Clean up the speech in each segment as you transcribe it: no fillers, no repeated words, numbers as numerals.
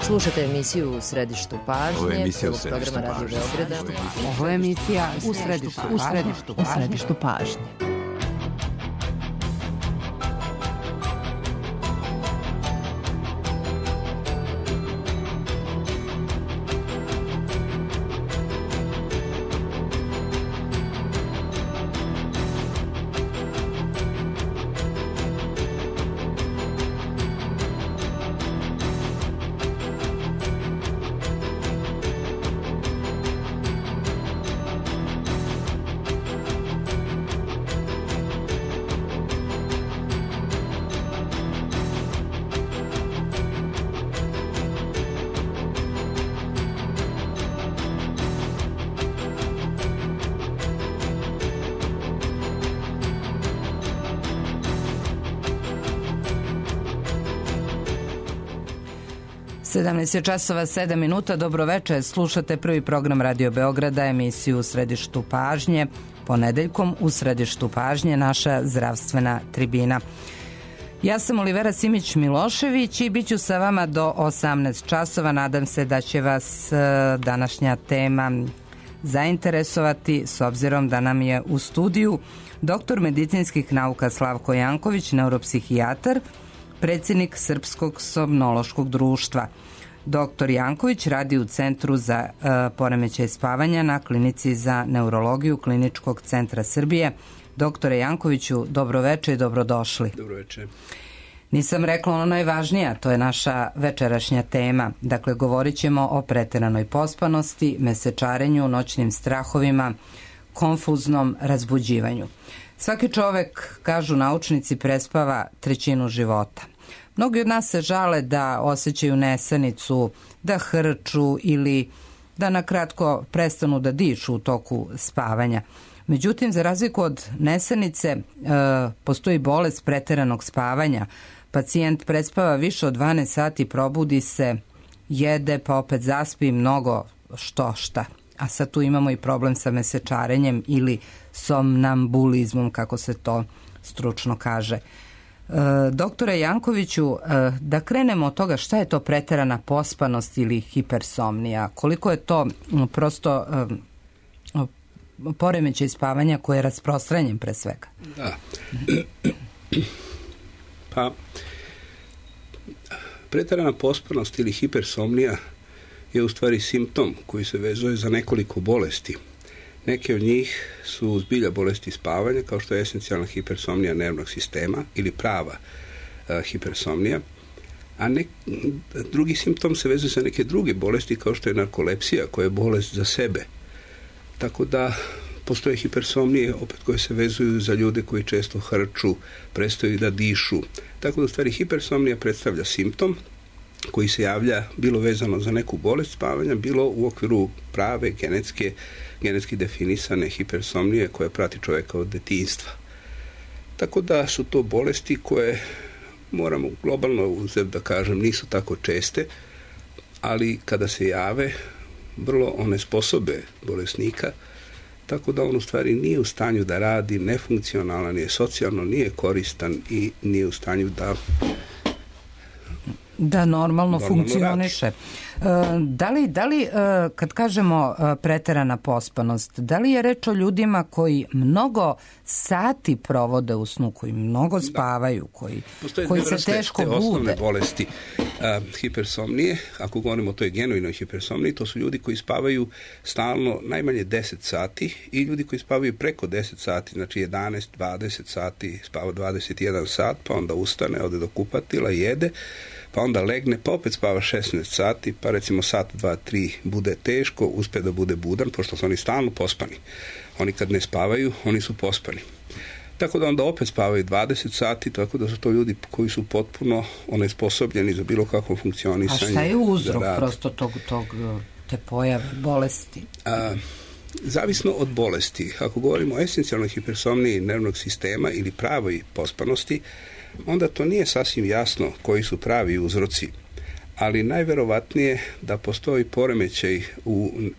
Slušate emisiju U središtu pažnje. Ovo je emisija U programa Radio Beograda. Ovo je emisija U središtu pažnje. Sedamnaest časova 7 minuta. Dobro večer. Slušate prvi program Radio Beograda, emisiju U središtu pažnje. Ponedeljkom U središtu pažnje naša zdravstvena tribina. Ja sam Olivera Simić-Milošević i bit ću sa vama do 18 časova. Nadam se da će vas današnja tema zainteresovati, s obzirom da nam je u studiju doktor medicinskih nauka Slavko Janković, neuropsihijatar, predsjednik Srpskog somnološkog društva. Doktor Janković radi u Centru za poremećaj spavanja na Klinici za neurologiju Kliničkog centra Srbije. Doktore Jankoviću, dobro večer i dobrodošli. Dobro večer. Nisam rekla ono najvažnije, to je naša večerašnja tema. Dakle, govorit ćemo o preteranoj pospanosti, mesečarenju, noćnim strahovima, konfuznom razbuđivanju. Svaki čovek, kažu naučnici, prespava trećinu života. Mnogi od nas se žale da osjećaju nesanicu, da hrču ili da nakratko prestanu da dišu u toku spavanja. Međutim, za razliku od nesanice, postoji bolest preteranog spavanja. Pacijent prespava više od 12 sati, probudi se, jede, pa opet zaspi mnogo šta. A sad tu imamo i problem sa mesečarenjem ili somnambulizmom, kako se to stručno kaže. Doktore Jankoviću, da krenemo od toga šta je to preterana pospanost ili hipersomnija, koliko je to prosto poremećaj spavanja koji je rasprostranjen pre svega? Da. Pa, preterana pospanost ili hipersomnija je u stvari simptom koji se vezuje za nekoliko bolesti. Neke od njih su zbilja bolesti spavanja, kao što je esencijalna hipersomnija nervnog sistema ili prava hipersomnija, a drugi simptom se vezuje za neke druge bolesti, kao što je narkolepsija, koja je bolest za sebe. Tako da postoje hipersomnije opet koje se vezuju za ljude koji često hrču, prestaju da dišu. Tako da u stvari hipersomnija predstavlja simptom koji se javlja bilo vezano za neku bolest spavanja, bilo u okviru prave genetski definisane hipersomnije koja prati čovjeka od detinjstva. Tako da su to bolesti koje moramo globalno uzeti da kažem nisu tako česte, ali kada se jave vrlo onesposobe bolesnika, tako da on u stvari nije u stanju da radi, nefunkcionalan je, socijalno nije koristan i nije u stanju da normalno funkcioniše. Da li kad kažemo preterana pospanost, da li je reč o ljudima koji mnogo sati provode u snu, koji mnogo spavaju, koji se teško bude? Osnovne bolesti hipersomnije, ako govorimo o toj genojnoj hipersomniji, to su ljudi koji spavaju stalno najmanje 10 sati i ljudi koji spavaju preko 10 sati, znači 11, 20 sati, spava 21 sat, pa onda ustane, ode do kupatila, jede, pa onda legne, pa opet spava 16 sati, pa recimo sat, 2, 3 bude teško, uspe da bude budan, pošto su oni stalno pospani. Oni kad ne spavaju, oni su pospani. Tako da onda opet spavaju 20 sati, tako da su to ljudi koji su potpuno onesposobljeni za bilo kakvo funkcionisanje. A šta je uzrok prosto te pojave bolesti? Zavisno od bolesti. Ako govorimo o esencijalnoj hipersomniji nervnog sistema ili pravoj pospanosti, onda to nije sasvim jasno koji su pravi uzroci, ali najverovatnije da postoji poremećaj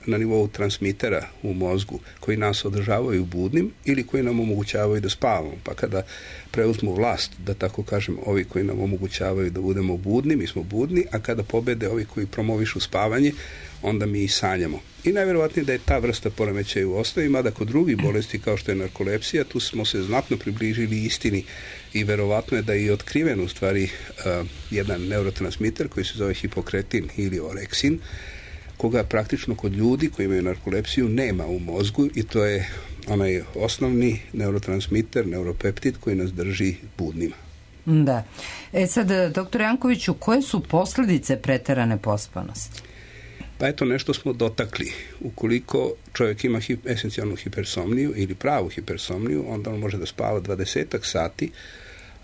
na nivou transmitera u mozgu koji nas održavaju budnim ili koji nam omogućavaju da spavamo. Pa kada preuzmu vlast, da tako kažem, ovi koji nam omogućavaju da budemo budni, mi smo budni, a kada pobede ovi koji promovišu spavanje, onda mi i sanjamo. I najverovatnije da je ta vrsta poremećaja u osnovi, mada kod drugih bolesti kao što je narkolepsija, tu smo se znatno približili istini i verovatno je da je i otkriven u stvari jedan neurotransmiter koji se zove hipokretin ili oreksin, koga praktično kod ljudi koji imaju narkolepsiju nema u mozgu i to je onaj osnovni neurotransmiter, neuropeptid koji nas drži budnima. Da. Sad, dr. Jankoviću, koje su posljedice preterane pospanosti? Pa eto, nešto smo dotakli. Ukoliko čovjek ima esencijalnu hipersomniju ili pravu hipersomniju, onda on može da spava 20 sati,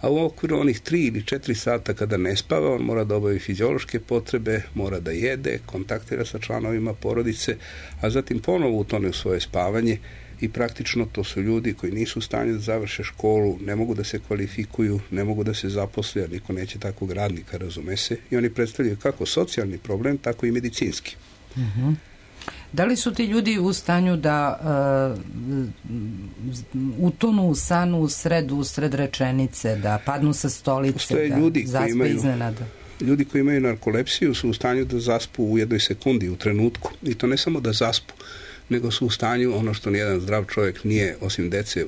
a u okviru onih 3 ili 4 sata kada ne spava, on mora da obavi fiziološke potrebe, mora da jede, kontaktira sa članovima porodice, a zatim ponovo utone u svoje spavanje i praktično to su ljudi koji nisu u stanju da završe školu, ne mogu da se kvalifikuju, ne mogu da se zaposle, jer niko neće takvog radnika, razume se, i oni predstavljaju kako socijalni problem, tako i medicinski. Da li su ti ljudi u stanju da utonu u san usred rečenice, da padnu sa stolice, da zaspe iznenada? Ljudi koji imaju narkolepsiju su u stanju da zaspu u jednoj sekundi, u trenutku. I to ne samo da zaspu, nego su u stanju, ono što nijedan zdrav čovjek nije, osim dece,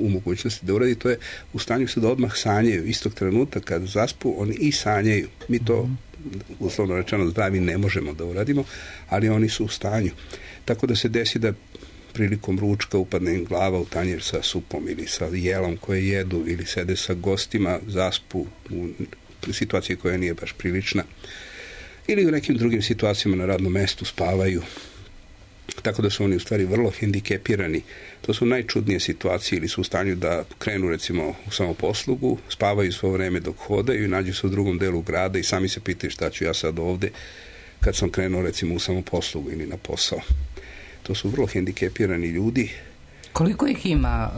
u mogućnosti da uradi, to je u stanju se da odmah sanjaju. Istog trenutka kad zaspu, oni i sanjaju. Mi to, uslovno rečeno, zdravi ne možemo da uradimo, ali oni su u stanju. Tako da se desi da prilikom ručka upadne im glava u tanjir sa supom ili sa jelom koje jedu ili sede sa gostima, zaspu u situaciji koja nije baš prilična. Ili u nekim drugim situacijama na radnom mestu spavaju. Tako da su oni u stvari vrlo hendikepirani. To su najčudnije situacije, ili su u stanju da krenu recimo u samoposlugu, spavaju svo vreme dok hodaju i nađu se u drugom delu grada i sami se pitaju šta ću ja sad ovde kad sam krenuo recimo u samoposlugu ili na posao. To su vrlo hendikepirani ljudi. Koliko ih ima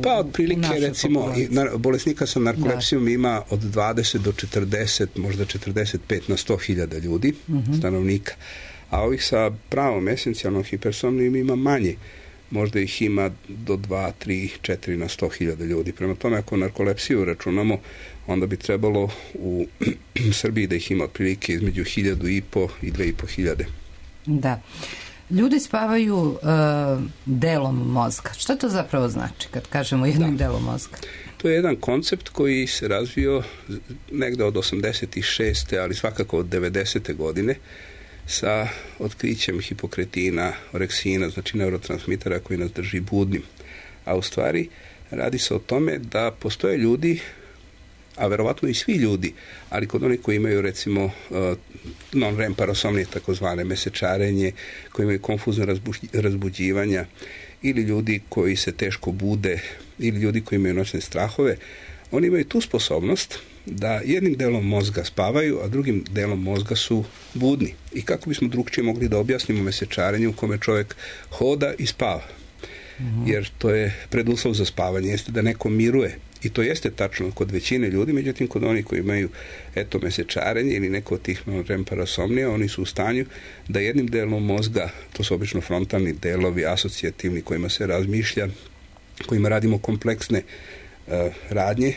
pa otprilike recimo bolesnika sa narkolepsijom ima od 20 do 40, možda 45 na 100.000 ljudi, stanovnika. A ovih sa pravom esencijalnom hipersomnijom ima manje. Možda ih ima do 2, 3, 4 na 100.000 ljudi. Prema tome, ako narkolepsiju računamo, onda bi trebalo u Srbiji da ih ima otprilike između 1.500 i 2.500. Da. Ljudi spavaju delom mozga. Šta to zapravo znači kad kažemo jednim delom mozga? To je jedan koncept koji se razvio negde od 86. ali svakako od 90. godine sa otkrićem hipokretina, oreksina, znači neurotransmitera koji nas drži budnim. A u stvari radi se o tome da postoje ljudi, a verovatno i svi ljudi, ali kod onih koji imaju recimo non-REM parasomnije, takozvane mesečarenje, koji imaju konfuzne razbuđivanja, ili ljudi koji se teško bude, ili ljudi koji imaju noćne strahove, oni imaju tu sposobnost da jednim delom mozga spavaju, a drugim delom mozga su budni. I kako bismo drugčije mogli da objasnimo mesečarenje u kome čovjek hoda i spava? Jer to je preduslov za spavanje, jeste da neko miruje. I to jeste tačno kod većine ljudi, međutim kod onih koji imaju mesečarenje ili neko od tih non-REM parasomnija, oni su u stanju da jednim delom mozga, to su obično frontalni delovi, asocijativni, kojima se razmišlja, kojima radimo kompleksne radnje,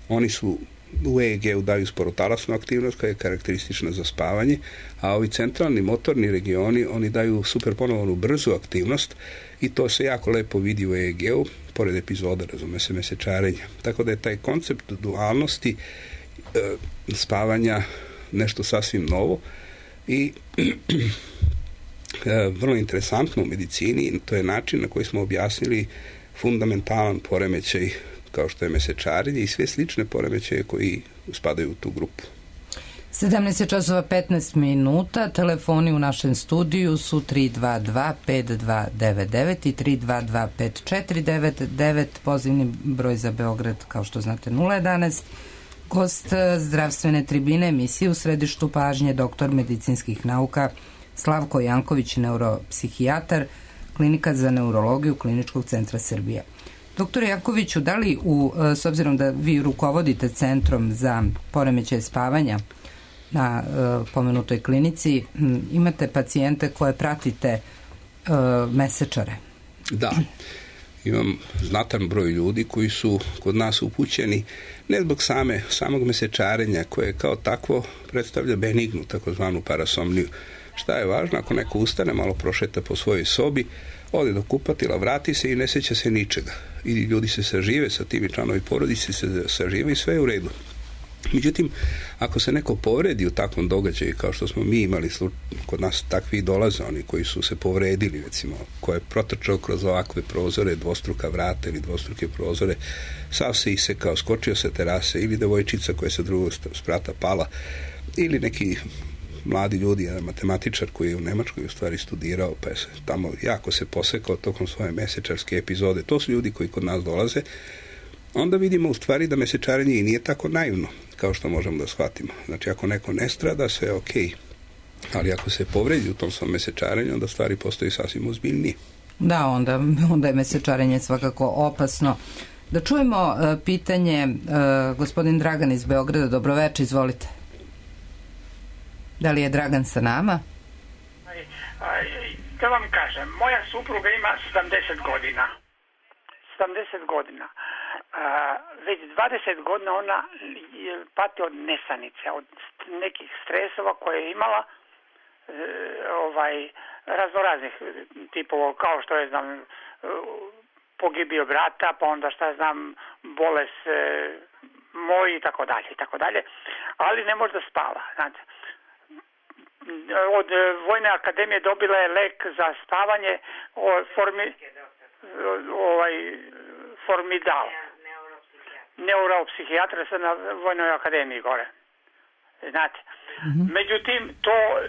oni su u EEG-u daju sporotalasnu aktivnost koja je karakteristična za spavanje, a ovi centralni motorni regioni, oni daju superponovanu brzu aktivnost i to se jako lepo vidi u EEG-u, pored epizoda, razume se, mesečarenja. Tako da je taj koncept dualnosti spavanja nešto sasvim novo i vrlo interesantno u medicini, to je način na koji smo objasnili fundamentalan poremećaj kao što je mesečarenje i sve slične poremećaje koji spadaju u tu grupu. 17:15, telefoni u našem studiju su 322-5299 i 322-5499, pozivni broj za Beograd, kao što znate, 011. Gost zdravstvene tribine emisije u središtu pažnje, doktor medicinskih nauka Slavko Janković, neuropsihijatar, Klinika za neurologiju Kliničkog centra Srbije. Doktor Jankoviću, da li s obzirom da vi rukovodite Centrom za poremećaje spavanja na pomenutoj klinici, imate pacijente koje pratite mesečare? Da. imam znatan broj ljudi koji su kod nas upućeni ne zbog samog mesečarenja koje kao takvo predstavlja benignu, takozvanu parasomniju. Šta je važno? Ako neko ustane, malo prošeta po svojoj sobi, ode do kupatila, vrati se i ne sjeća se ničega. I ljudi se sažive sa tim i članovi porodice se sažive i sve je u redu. Međutim, ako se neko povredi u takvom događaju, kao što smo mi imali kod nas takvi dolaze, oni koji su se povredili, recimo, ko je protrčao kroz ovakve prozore, dvostruka vrata ili dvostruke prozore, sav se isekao, skočio sa terase, ili devojčica koja je sa drugog sprata pala, ili neki mladi ljudi, jedan matematičar koji je u Nemačkoj u stvari studirao, pa je tamo jako se posekao tokom svoje mesečarske epizode. To su ljudi koji kod nas dolaze. Onda vidimo u stvari da mesečarenje i nije tako naivno, kao što možemo da shvatimo. Znači, ako neko ne strada, sve je okej. Ali ako se povredi u tom svom mesečarenju, onda stvari postoji sasvim ozbiljnije. Da, onda je mesečarenje svakako opasno. Da čujemo pitanje, gospodin Dragan iz Beograda, dobroveče, izvolite. Da li je Dragan sa nama? Da vam kažem, moja supruga ima 70 godina. 70 godina. Već 20 godina ona pati od nesanice, od nekih stresova koje je imala, raznoraznih tipova, kao što je, znam, pogibio brata, pa onda šta znam, bolest moj i tako dalje, ali ne može da spava, znate. Od Vojne akademije dobila je lek za spavanje, Formidal. Neuropsihijatra sam na Vojnoj akademiji gore. Znate. Međutim,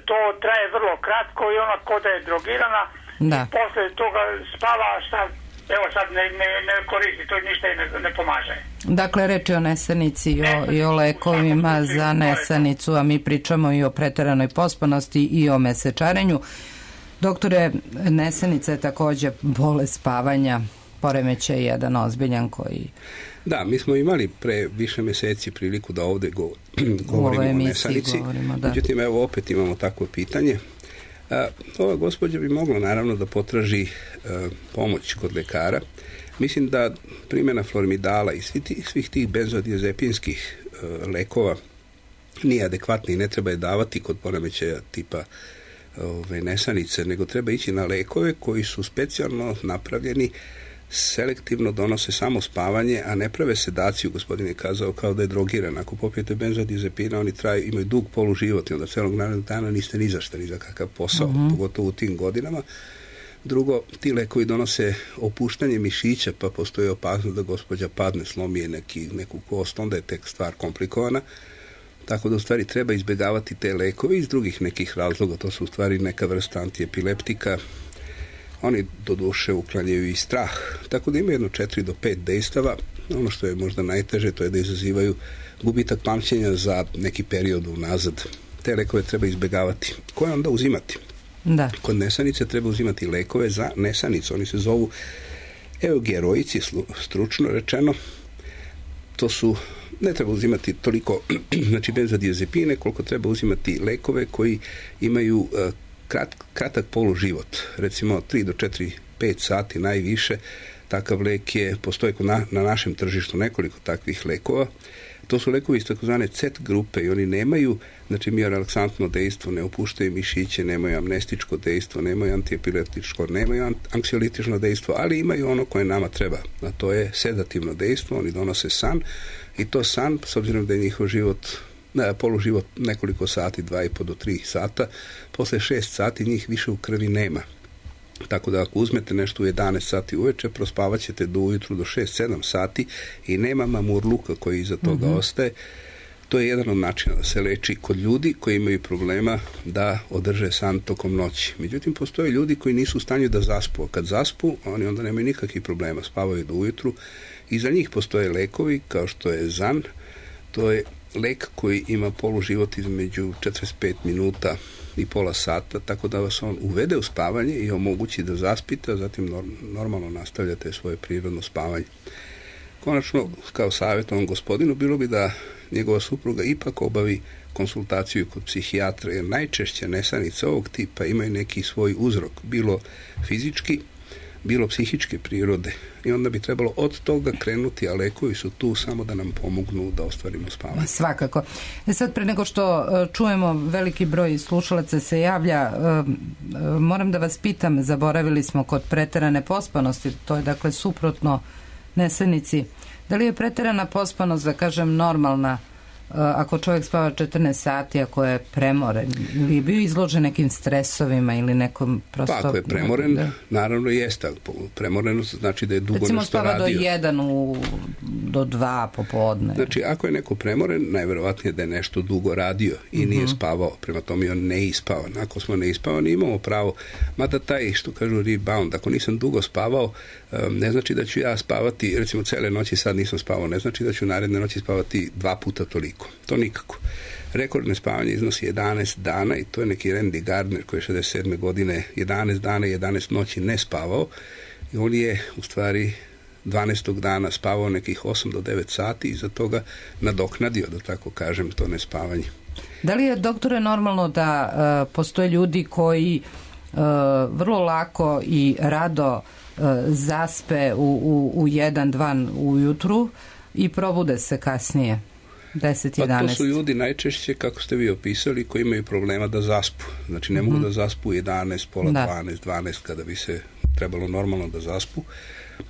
to traje vrlo kratko i ona kod je drogirana. Da. I posle toga spava, evo sad ne koristi, to ništa ne pomaže. Dakle, reč je o nesanici i o lekovima za nesanicu, a mi pričamo i o preteranoj pospanosti i o mesečarenju. Doktore, nesanica je takođe bolest spavanja, poremećaj jedan ozbiljan koji... Da, mi smo imali pre više meseci priliku da ovde govorimo o nesanici. Međutim, evo opet imamo takvo pitanje. Ova gospođa bi mogla naravno da potraži pomoć kod lekara. Mislim da primjena Formidala i svih tih benzodiazepinskih lekova nije adekvatna i ne treba je davati kod poremećaja tipa nesanice, nego treba ići na lekove koji su specijalno napravljeni, selektivno donose samo spavanje, a ne prave sedaciju. Gospodin je kazao kao da je drogiran. Ako popijete benzodiazepina, oni imaju dug poluživot i onda celog narednog dana niste ni za šta, ni za kakav posao, pogotovo u tim godinama. Drugo, ti lekovi donose opuštanje mišića, pa postoji opasnost da gospođa padne, slomi neku kost, onda je tek stvar komplikovana. Tako da u stvari treba izbjegavati te lekove iz drugih nekih razloga. To su u stvari neka vrsta antiepileptika. Oni do duše uklanjaju i strah. Tako da ima jedno 4 do 5 dejstava. Ono što je možda najteže, to je da izazivaju gubitak pamćenja za neki period unazad. Te lekove treba izbjegavati. Koje onda uzimati? Da. Kod nesanice treba uzimati lekove za nesanicu. Oni se zovu eugeroici, stručno rečeno. To su, ne treba uzimati toliko, znači benzodiazepine, koliko treba uzimati lekove koji imaju kratak poluživot, recimo 3 do 4-5 sati najviše. Takav lek postoji na našem tržištu nekoliko takvih lekova. To su lekovi iz takozvane CET grupe i oni nemaju, znači miorelaksantno dejstvo, ne opuštaju mišiće, nemaju amnestičko dejstvo, nemaju antiepileptičko, nemaju anksiolitično dejstvo, ali imaju ono koje nama treba, a to je sedativno dejstvo. Oni donose san i to san, s obzirom da je njihov poluživot nekoliko sati, 2,5 do 3 sata, posle 6 sati njih više u krvi nema. Tako da ako uzmete nešto u 11 sati uveče, prospavat ćete do ujutru do 6-7 sati i nema mamurluka koji iza toga ostaje. To je jedan od načina da se leči kod ljudi koji imaju problema da održe san tokom noći. Međutim, postoje ljudi koji nisu u stanju da zaspu, a kad zaspu, oni onda nemaju nikakvih problema, spavaju do ujutru i za njih postoje lekovi kao što je ZAN. To je lek koji ima poluživot između 45 minuta i pola sata, tako da vas on uvede u spavanje i omogući da zaspite, a zatim normalno nastavljate svoje prirodno spavanje. Konačno, kao savjet ovom gospodinu, bilo bi da njegova supruga ipak obavi konsultaciju kod psihijatra, jer najčešće nesanice ovog tipa imaju neki svoj uzrok, bilo fizički, bilo psihičke prirode i onda bi trebalo od toga krenuti, a lekovi su tu samo da nam pomognu da ostvarimo spavanje. Svakako. Sad, pre nego što čujemo, veliki broj slušalaca se javlja, moram da vas pitam, zaboravili smo kod preterane pospanosti, to je dakle suprotno nesanici. Da li je preterana pospanost, da kažem, normalna ako čovjek spava 14 sati, ako je premoren, ili je bio izložen nekim stresovima ili nekom prosto... Pa ako je premoren, naravno jeste. Premorenost znači da je dugo recimo nešto radio. Recimo spava do 2 popodne. Znači, ako je neko premoren, najverovatnije da je nešto dugo radio i nije spavao. Prema tome je on neispavan. Ako smo neispavani, imamo pravo. Mada taj, što kažu, rebound, ako nisam dugo spavao, ne znači da ću ja spavati, recimo cele noći sad nisam spavao, ne znači da ću naredne noći spavati 2 puta toliko. To nikako. Rekordne spavanje iznosi 11 dana i to je neki Randy Gardner koji je 67. godine 11 dana i 11 noći ne spavao i on je u stvari 12. dana spavao nekih 8 do 9 sati i za toga nadoknadio, da tako kažem, to nespavanje. Da li je, doktore, normalno da postoje ljudi koji vrlo lako i rado zaspe u 1-2 ujutru i probude se kasnije? 10-11. Pa to su ljudi najčešće, kako ste vi opisali, koji imaju problema da zaspu. Znači ne mogu da zaspu 11, pola 12 kada bi se trebalo normalno da zaspu,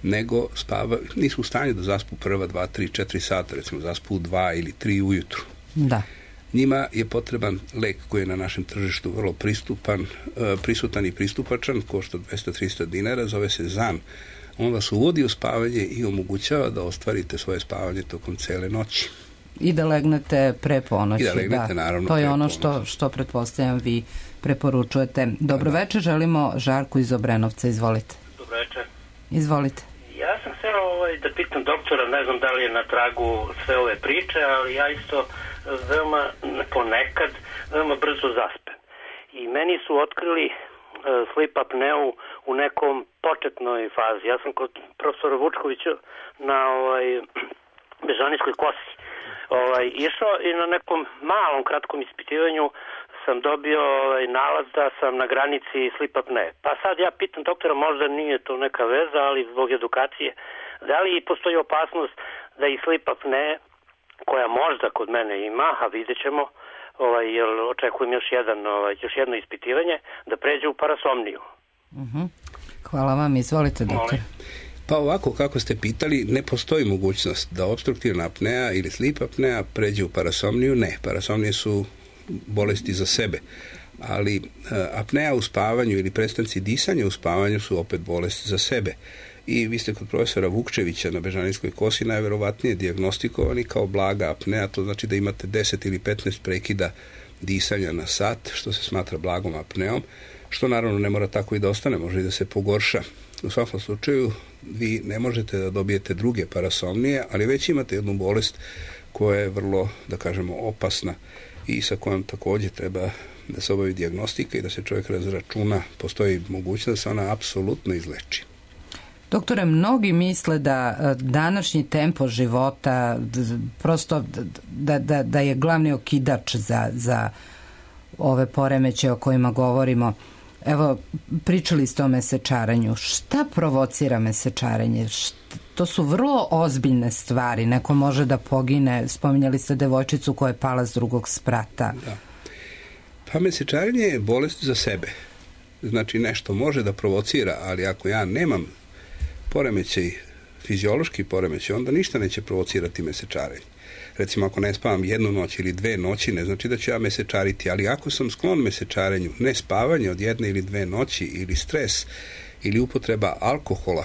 nego nisu u stanju da zaspu prva 2, 3, 4 sata, recimo zaspu u 2 ili 3 ujutru. Da. Njima je potreban lek koji je na našem tržištu vrlo prisutan i pristupačan, košta 200-300 dinara, zove se Zan. On vas uvodi u spavanje i omogućava da ostvarite svoje spavanje tokom cele noći. I da legnete pre ponoći. I da legnete, naravno, to je ono što pretpostavljam vi preporučujete. Dobro večer, želimo Žarku iz Obrenovca, izvolite. Dobro večer. Izvolite. Ja sam htio da pitam doktora, ne znam da li je na tragu sve ove priče, ali ja isto ponekad veoma brzo zaspem. I meni su otkrili sleep apneu u nekom početnoj fazi. Ja sam kod profesora Vučkovića na Bežanijskoj kosi išao i na nekom malom kratkom ispitivanju sam dobio nalaz da sam na granici sleep apnea. Pa sad ja pitam doktora, možda nije to neka veza, ali zbog edukacije, da li postoji opasnost da i sleep apnea, koja možda kod mene ima, a vidjet ćemo, jer očekujem još jedno ispitivanje, da pređe u parasomniju. Hvala vam, izvolite doktor. Pa ovako, kako ste pitali, ne postoji mogućnost da opstruktivna apnea ili sleep apnea pređe u parasomniju. Ne, parasomnije su bolesti za sebe, ali apnea u spavanju ili prestanci disanja u spavanju su opet bolesti za sebe. I vi ste kod profesora Vukčevića na Bežanijskoj kosi najverovatnije dijagnostikovani kao blaga apnea, to znači da imate 10 ili 15 prekida disanja na sat, što se smatra blagom apneom, što naravno ne mora tako i da ostane, može i da se pogorša. U svakom slučaju vi ne možete da dobijete druge parasomnije, ali već imate jednu bolest koja je vrlo, da kažemo, opasna i sa kojom također treba da se obavi dijagnostika i da se čovjek razračuna. Postoji mogućnost da se ona apsolutno izleči. Doktore, mnogi misle da današnji tempo života prosto da je glavni okidač za ove poremeće o kojima govorimo. Evo, pričali ste o mesečaranju. Šta provocira mesečarenje? To su vrlo ozbiljne stvari. Neko može da pogine. Spominjali ste devojčicu koja je pala s 2. sprata. Da. Pa mesečarenje je bolest za sebe. Znači nešto može da provocira, ali ako ja nemam poremećaj, fiziološki poremećaj, onda ništa neće provocirati mesečarenje. Recimo, ako ne spavam 1 noć ili 2 noći, ne znači da ću ja mesečariti, ali ako sam sklon mesečarenju, ne spavanje od 1 ili 2 noći ili stres ili upotreba alkohola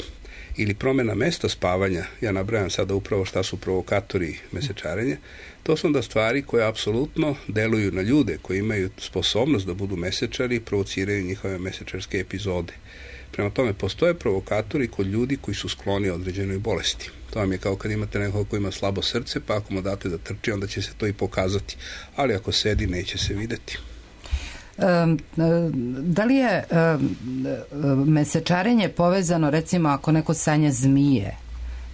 ili promjena mesta spavanja, ja nabrajam sada upravo šta su provokatori mesečarenja, to su onda stvari koje apsolutno deluju na ljude koji imaju sposobnost da budu mesečari i provociraju njihove mesečarske epizode. Prema tome, postoje provokatori kod ljudi koji su skloni određenoj bolesti. To vam je kao kad imate nekoga koji ima slabo srce, pa ako mu date da trči, onda će se to i pokazati. Ali ako sedi, neće se videti. Da li je mesečarenje povezano, recimo, ako neko sanja zmije,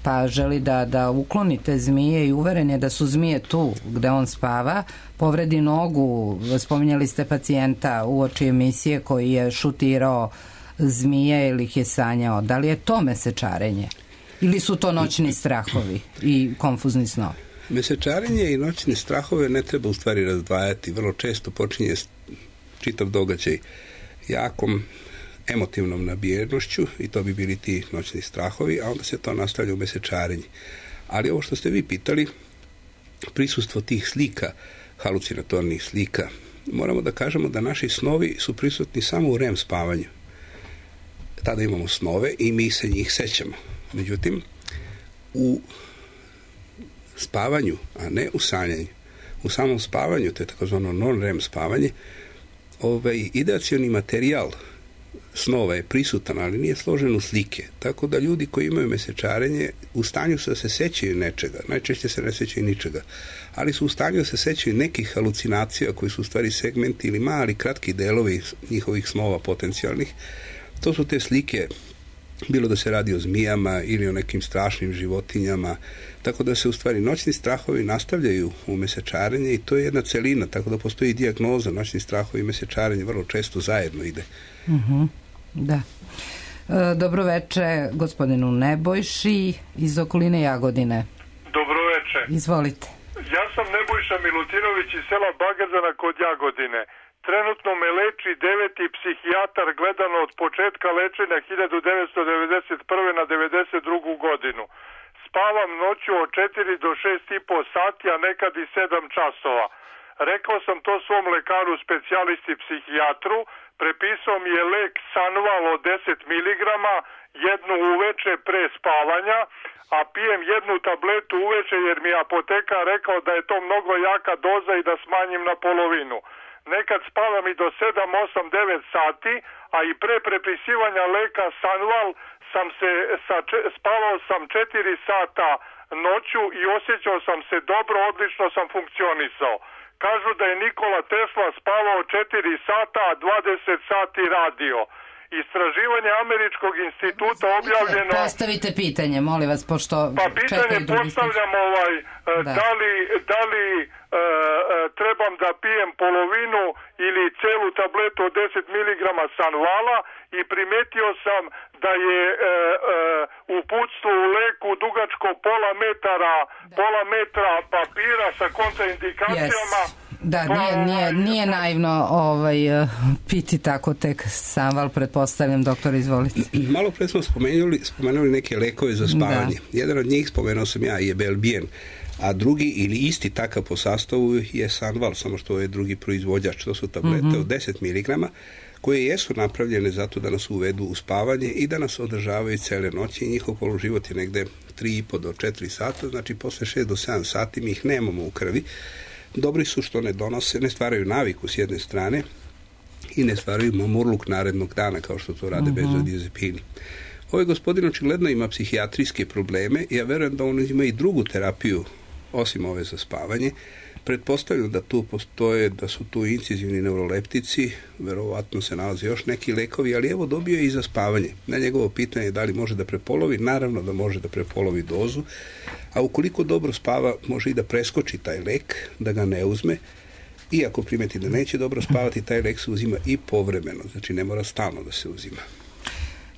pa želi da ukloni te zmije i uveren je da su zmije tu gde on spava, povredi nogu, spominjali ste pacijenta uoči emisije koji je šutirao zmije ili ih je sanjao. Da li je to mesečarenje? Ili su to noćni strahovi i konfuzni snovi? Mesečarenje i noćne strahove ne treba u stvari razdvajati. Vrlo često počinje čitav događaj jakom emotivnom nabijenošću i to bi bili ti noćni strahovi, a onda se to nastavlja u mesečarenje. Ali ovo što ste vi pitali, prisustvo tih slika, halucinatornih slika, moramo da kažemo da naši snovi su prisutni samo u REM spavanju. Tada imamo snove i mi se njih sećamo. Međutim, u spavanju, a ne u sanjanju, u samom spavanju, to je takozvano non-REM spavanje, ideacioni materijal snova je prisutan, ali nije složen u slike. Tako da ljudi koji imaju mesečarenje u stanju su da se sećaju nečega. Najčešće se ne sećaju ničega. Ali su u stanju da se sećaju nekih halucinacija koji su u stvari segmenti ili mali kratki delovi njihovih snova potencijalnih. To su te slike, bilo da se radi o zmijama ili o nekim strašnim životinjama. Tako da se u stvari noćni strahovi nastavljaju u mesečarenje i to je jedna celina. Tako da postoji dijagnoza noćni strahovi i mesečarenje vrlo često zajedno ide. Da. Dobro veče gospodinu Nebojši iz okoline Jagodine. Dobro veče. Izvolite. Ja sam Nebojša Milutinović iz sela Bagazana kod Jagodine. Trenutno me leči 9. psihijatar gledano od početka lečenja 1991. na 92. godinu. Spavam noću od 4 do 6,5 sati, a nekad i 7 časova. Rekao sam to svom lekaru specijalisti psihijatru, prepisao mi je lek Sanval od 10 mg, jednu uveče pre spavanja, a pijem jednu tabletu uveče jer mi je apotekar rekao da je to mnogo jaka doza i da smanjim na polovinu. Nekad spavam i do 7, 8, 9 sati, a i pre prepisivanja leka Sanval spavao sam 4 sata noću i osjećao sam se dobro, odlično sam funkcionisao. Kažu da je Nikola Tesla spavao 4 sata, a 20 sati radio. Istraživanje Američkog instituta objavljeno... Postavite pitanje, molim vas, pošto... Pa pitanje postavljam da li trebam da pijem polovinu ili celu tabletu od 10 mg Sanvala i primetio sam da je uputstvo u leku dugačko pola metra papira sa kontraindikacijama. Da, nije naivno piti tako tek Sanval, pretpostavljam. Doktor, izvolite. Malo pre smo spomenuli neke lekove za spavanje. Jedan od njih, spomenuo sam ja, je Belbien, a drugi ili isti takav po sastavu je Sanval, samo što je drugi proizvođač. To su tablete od 10 mg koje jesu napravljene zato da nas uvedu u spavanje i da nas održavaju cele noći i njihov poluživot je negde 3,5 do 4 sata, znači posle 6 do 7 sati mi ih nemamo u krvi. Dobri su što ne stvaraju naviku s jedne strane i ne stvaraju mamurluk narednog dana kao što to rade benzodiazepini. Ovaj gospodin očigledno ima psihijatrijske probleme i ja verujem da on ima i drugu terapiju osim ove za spavanje. Pretpostavljam da tu postoje, da su tu incizivni neuroleptici, verovatno se nalaze još neki lekovi, ali evo dobio je i za spavanje. Na njegovo pitanje da li može da prepolovi, naravno da može da prepolovi dozu, a ukoliko dobro spava može i da preskoči taj lek, da ga ne uzme, i ako primeti da neće dobro spavati, taj lek se uzima i povremeno, znači ne mora stalno da se uzima.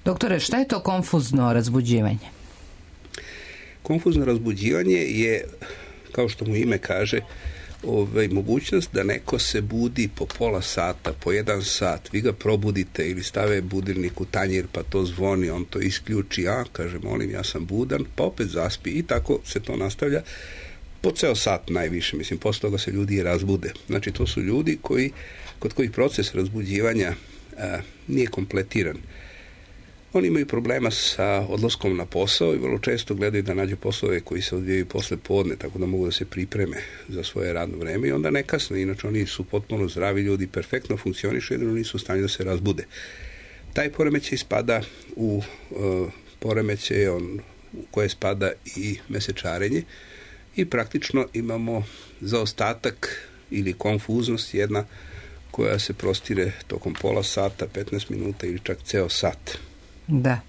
Doktore, šta je to konfuzno razbuđivanje? Konfuzno razbuđivanje je, kao što mu ime kaže, mogućnost da neko se budi po pola sata, po 1 sat, vi ga probudite ili stave budilnik u tanjir pa to zvoni, on to isključi, kaže molim ja sam budan, pa opet zaspi i tako se to nastavlja po ceo sat najviše, mislim, posle toga se ljudi razbude. Znači to su ljudi kod kojih proces razbuđivanja nije kompletiran. Oni imaju problema sa odlaskom na posao i vrlo često gledaju da nađu poslove koji se odvijaju posle podne, tako da mogu da se pripreme za svoje radno vreme i onda ne kasne, inače oni su potpuno zdravi ljudi, perfektno funkcionišu, jedino nisu u stanju da se razbude. Taj poremećaj spada u poremećaj u koje spada i mesečarenje i praktično imamo zaostatak ili konfuznost jedna koja se prostire tokom pola sata, 15 minuta ili čak ceo sat. Da,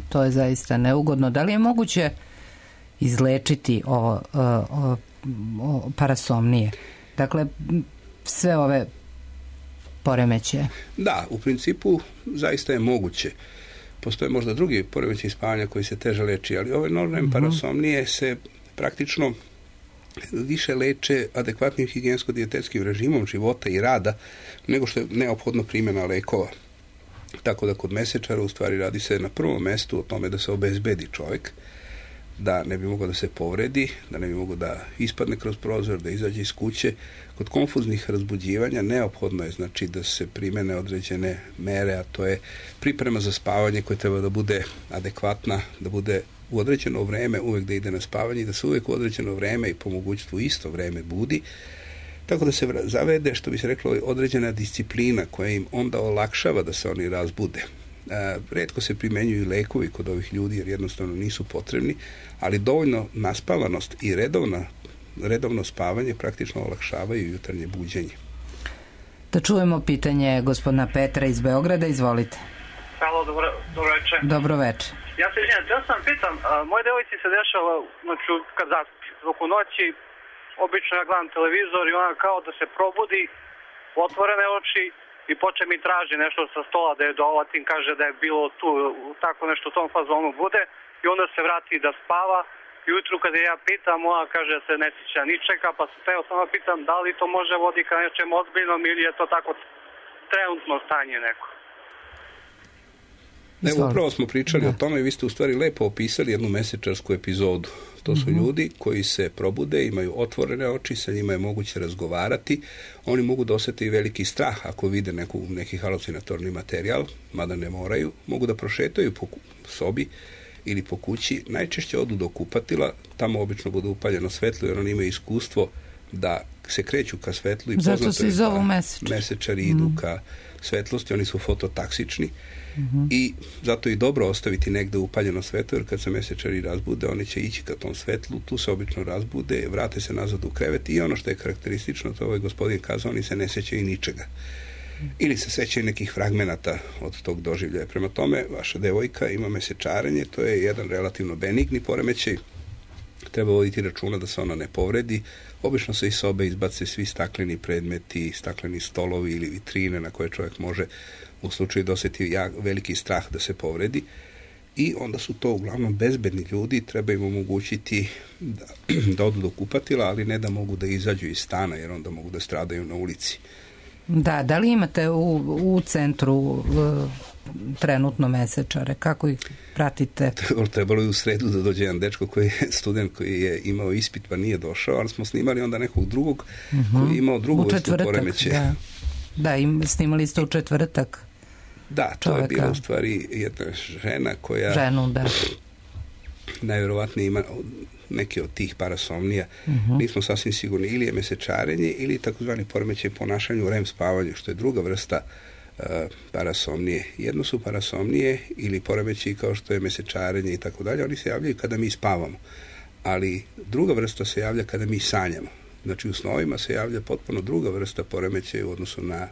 to je zaista neugodno. Da li je moguće izlečiti parasomnije? Dakle, sve ove poremećaje? Da, u principu zaista je moguće. Postoje možda drugi poremećaji spavanja koji se teže leči, ali ove non-REM parasomnije se praktično više leče adekvatnim higijensko-dijetetskim režimom života i rada nego što je neophodno primjena lekova. Tako da kod mesečara u stvari radi se na prvom mestu o tome da se obezbedi čovjek, da ne bi mogao da se povredi, da ne bi mogao da ispadne kroz prozor, da izađe iz kuće. Kod konfuznih razbuđivanja neophodno je znači da se primene određene mere, a to je priprema za spavanje koja treba da bude adekvatna, da bude u određeno vreme uvek da ide na spavanje i da se uvek u određeno vreme i po mogućstvu isto vreme budi. Tako da se zavede, što bi se reklo, određena disciplina koja im onda olakšava da se oni razbude. Retko se primenjuju lekovi kod ovih ljudi jer jednostavno nisu potrebni, ali dovoljno naspavanost i redovno spavanje praktično olakšavaju jutarnje buđenje. Da čujemo pitanje gospodina Petra iz Beograda, izvolite. Halo, dobro večer. Dobro večer. Ja se izvinjam, ja sam pitam, moje devojci se dešava, znači kad zaspi, oko noći, obično ja gledam televizor i ona kao da se probudi, otvorene oči i poče mi traži nešto sa stola da je dolatim, kaže da je bilo tu, tako nešto u tom fazonu bude i onda se vrati da spava. Jutru kada ja pitam, ona kaže da se ne sjeća ničega, pa se teo samo pitam da li to može vodi ka nečem ozbiljnom ili je to tako trenutno stanje neko. Evo, upravo smo pričali o tome i vi ste u stvari lepo opisali jednu mesečarsku epizodu. To su ljudi koji se probude, imaju otvorene oči, sa njima je moguće razgovarati. Oni mogu da osjete i veliki strah ako vide neki halucinatorni materijal, mada ne moraju. Mogu da prošetaju po sobi ili po kući. Najčešće odu do kupatila, tamo obično bude upaljeno svetlo jer oni imaju iskustvo da se kreću ka svetlu i zato se zovu mesečari idu ka svetlosti, oni su fototaksični. I zato je dobro ostaviti negde upaljeno svetlo, jer kad se mesečari razbude, oni će ići ka tom svetlu, tu se obično razbude, vrate se nazad u krevet i ono što je karakteristično, to ovaj gospodin kazao, oni se ne sećaju ničega. Ili se sećaju nekih fragmenata od tog doživljaja. Prema tome, vaša devojka ima mesečarenje, to je jedan relativno benigni poremećaj, treba voditi računa da se ona ne povredi. Obično se iz sobe izbace svi stakleni predmeti, stakleni stolovi ili vitrine na koje čovjek može u slučaju da osjeti veliki strah da se povredi i onda su to uglavnom bezbedni ljudi, treba im omogućiti da odu do kupatila, ali ne da mogu da izađu iz stana jer onda mogu da stradaju na ulici. Da li imate u centru trenutno mesečare? Kako ih pratite? Trebalo je u sredu da dođe jedan dečko koji je student koji je imao ispit pa nije došao, ali smo snimali onda nekog drugog koji je imao drugu vrstu poremećaja. Da, snimali ste u četvrtak. Da, to je bila u stvari jedna žena koja najvjerovatnije ima neke od tih parasomnija. Nismo sasvim sigurni, ili je mesečarenje ili takozvani poremećaj ponašanju u REM spavanju, što je druga vrsta parasomnije. Jedno su parasomnije ili poremećaji kao što je mesečarenje i tako dalje, oni se javljaju kada mi spavamo. Ali druga vrsta se javlja kada mi sanjamo. Znači u snovima se javlja potpuno druga vrsta poremećaja u odnosu na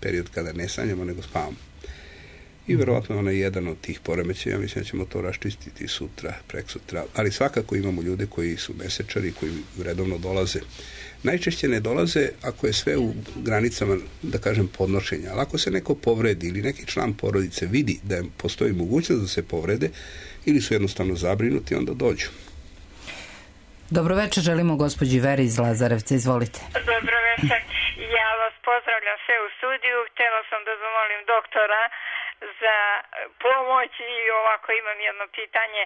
period kada ne sanjamo nego spavamo. I verovatno ona je jedan od tih poremećaja, mislim da ćemo to raščistiti sutra, preksutra, ali svakako imamo ljude koji su mesečari, koji redovno dolaze. Najčešće ne dolaze ako je sve u granicama, da kažem, podnošenja, ali ako se neko povredi ili neki član porodice vidi da postoji mogućnost da se povrede ili su jednostavno zabrinuti, onda dođu. Dobro večer, želimo gospođi Veri iz Lazarevca, izvolite. Dobro večer, ja vas pozdravljam sve u studiju, htjela sam da zamolim doktora za pomoć i ovako imam jedno pitanje.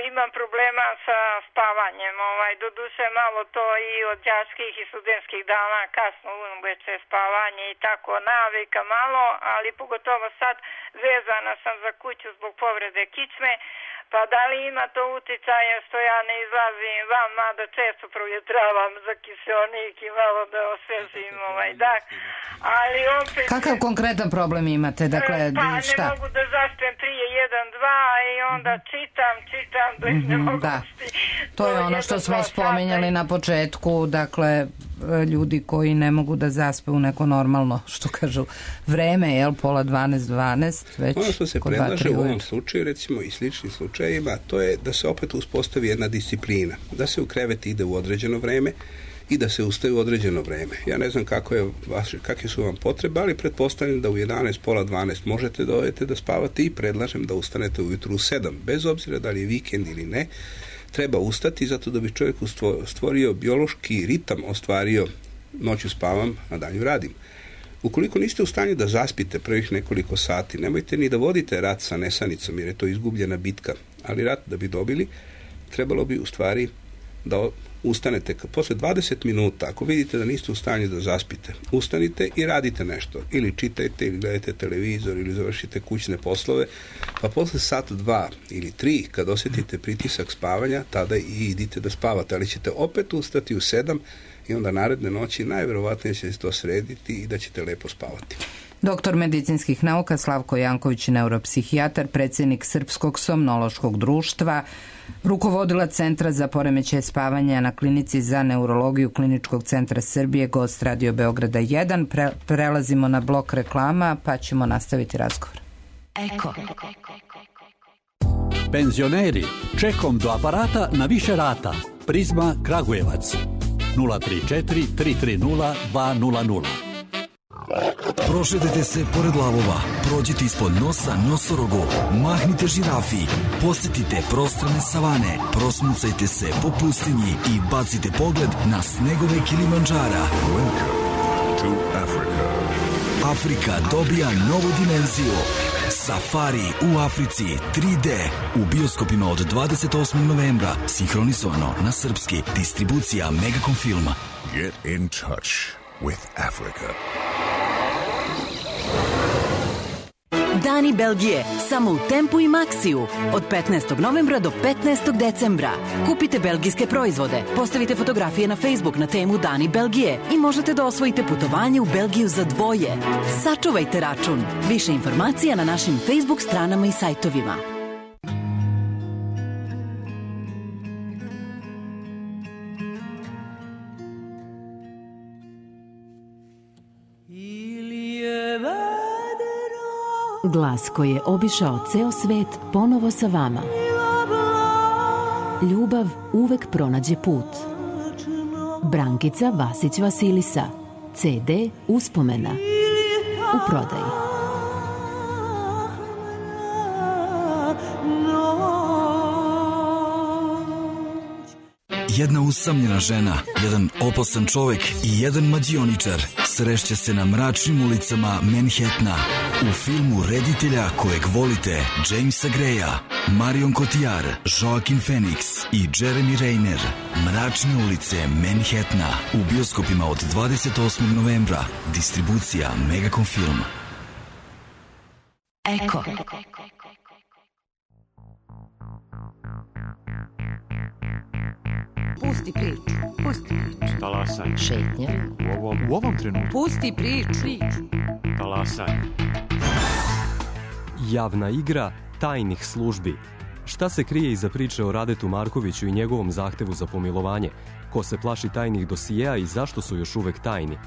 Imam problema sa spavanjem, doduše malo to i od đačkih i studentskih dana, kasno uveče spavanje i tako navika malo, ali pogotovo sad vezana sam za kuću zbog povrede kičme. Pa da li ima to uticaje što ja ne izlazim van, mada često provjetravam za kiseonik i malo da osvežim dah. Ali opet... Kakav konkretan problem imate? Dakle, pa ne mogu da zaspem prije 1-2 i onda čitam da ne mogu to je ono što smo spominjali na početku, dakle, ljudi koji ne mogu da zaspe u neko normalno, što kažu, vreme, pola 12, već... Ono što se predlaže u ovom slučaju, recimo i sličnim slučajima, to je da se opet uspostavi jedna disciplina, da se u krevet ide u određeno vreme i da se ustaje u određeno vreme. Ja ne znam kakve su vam potrebe, ali pretpostavljam da u 11, pola 12 možete da odete da spavate i predlažem da ustanete ujutru u 7. Bez obzira da li je vikend ili ne, treba ustati zato da bi čovjek stvorio biološki ritam, ostvario noću spavam, a danju radim. Ukoliko niste u stanju da zaspite prvih nekoliko sati, nemojte ni da vodite rat sa nesanicom, jer je to izgubljena bitka. Ali rat da bi dobili, trebalo bi u stvari da ustanete posle 20 minuta, ako vidite da niste u stanju da zaspite, ustanite i radite nešto. Ili čitajte, ili gledajte televizor, ili završite kućne poslove, pa posle sat, 2 ili 3, kad osjetite pritisak spavanja, tada i idite da spavate, ali ćete opet ustati u 7 i onda naredne noći najverovatnije će se to srediti i da ćete lepo spavati. Doktor medicinskih nauka Slavko Janković, neuropsihijatar, predsjednik Srpskog somnološkog društva, rukovodilac Centra za poremećaje spavanja na Klinici za neurologiju Kliničkog centra Srbije, gost Radio Beograda 1. Prelazimo na blok reklama, pa ćemo nastaviti razgovor. Eko. Penzioneri, čekom do aparata na više rata. Prizma Kragujevac 034 330 200. Prošetajte se pored lavova, prođite ispod nosa nosorogu, mahnite žirafi, posjetite prostrane savane, prosmucajte se po pustinji i bacite pogled na snegove Kilimandžara. To Africa. Afrika dobija novu dimenziju. Safari u Africi 3D u bioskopima od 28. novembra, sinhronizovano na srpski, distribucija Megacom filma. Get in touch with Africa. Dani Belgije, samo u Tempu i Maxiju. Od 15. novembra do 15. decembra. Kupite belgijske proizvode, postavite fotografije na Facebook na temu Dani Belgije i možete da osvojite putovanje u Belgiju za dvoje. Sačuvajte račun. Više informacija na našim Facebook stranama i sajtovima. Glas koji je obišao ceo svet ponovo sa vama. Ljubav uvek pronađe put. Brankica Vasić Vasilisa. CD Uspomena. U prodaji. Jedna usamljena žena, jedan opasan čovek i jedan mađioničar srešće se na mračnim ulicama Manhattana. U filmu reditelja kojeg volite, Jamesa Greya, Marion Cotillard, Joaquin Phoenix i Jeremy Renner. Mračne ulice Manhattana u bioskopima od 28. novembra. Distribucija Megacom filma. Eko. Pusti priču. Talasanje. Šetnja. U ovom trenutku. Pusti priču. Talasanje. Javna igra tajnih službi. Šta se krije iza priče o Radetu Markoviću i njegovom zahtevu za pomilovanje? Ko se plaši tajnih dosijeja i zašto su još uvek tajni?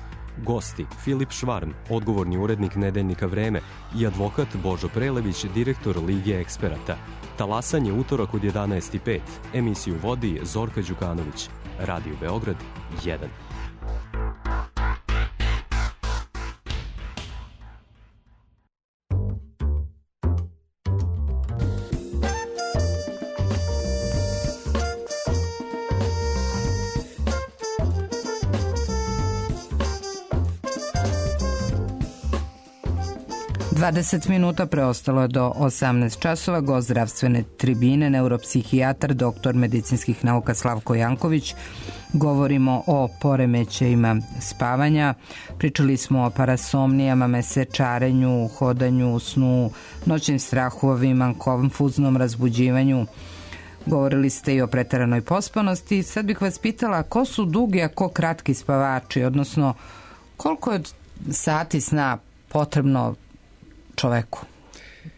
Gosti: Filip Švarm, odgovorni urednik Nedeljnika Vreme, i advokat Božo Prelević, direktor Lige eksperata. Talasanje utorak od 11:05. Emisiju vodi Zorka Đukanović. Radio Beograd 1. Dvadeset minuta preostalo je do 18 časova. Gost zdravstvene tribine, neuropsihijatar, doktor medicinskih nauka Slavko Janković. Govorimo o poremećajima spavanja. Pričali smo o parasomnijama, mesečarenju, hodanju, snu, noćnim strahovima, konfuznom razbuđivanju. Govorili ste i o preteranoj pospanosti. Sad bih vas pitala ko su dugi, a ko kratki spavači, odnosno koliko je sati sna potrebno čoveku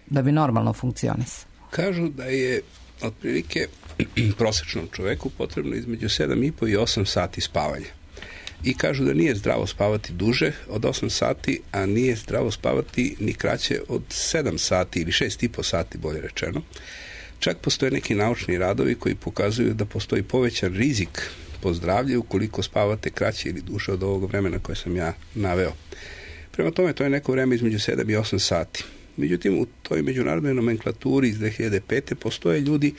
da bi normalno funkcionisao? Kažu da je otprilike prosečnom čoveku potrebno između 7,5 i 8 sati spavanja. I kažu da nije zdravo spavati duže od 8 sati, a nije zdravo spavati ni kraće od 7 sati ili 6,5 sati, bolje rečeno. Čak postoje neki naučni radovi koji pokazuju da postoji povećan rizik po zdravlje ukoliko spavate kraće ili duže od ovog vremena koje sam ja naveo. Prema tome, to je neko vreme između 7 i 8 sati. Međutim, u toj međunarodnoj nomenklaturi iz 2005. postoje ljudi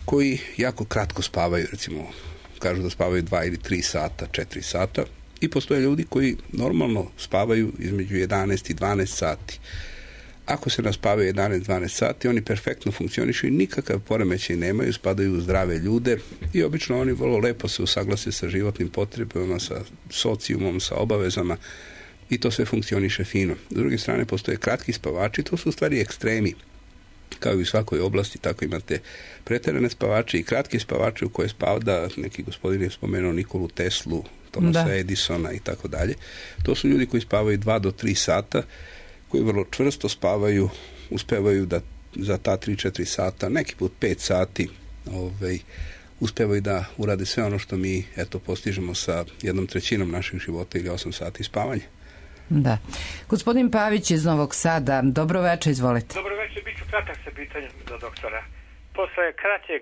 koji jako kratko spavaju, recimo kažu da spavaju 2 ili 3 sata, 4 sata, i postoje ljudi koji normalno spavaju između 11 i 12 sati. Ako se naspavaju 11-12 sati, oni perfektno funkcionišu i nikakav poremećaj nemaju, spadaju u zdrave ljude i obično oni vrlo lepo se usaglase sa životnim potrebama, sa sociumom, sa obavezama i to sve funkcioniše fino. S druge strane, postoje kratki spavači, to su u stvari ekstremi. Kao i u svakoj oblasti, tako imate preterane spavače i kratki spavače u koje spada, neki gospodin je spomenuo Nikolu Teslu, Thomasa Edisona i tako dalje. To su ljudi koji spavaju 2 do 3 sata, koji vrlo čvrsto spavaju, uspevaju da za ta 3-4 sata, neki put 5 sati, uspevaju da urade sve ono što mi postižemo sa 1/3 naših života ili 8 sati spavanja. Da. Gospodin Pavić iz Novog Sada, dobro večer, izvolite. Dobro večer, bit ću kratak sa pitanjem za doktora. Posle kraćeg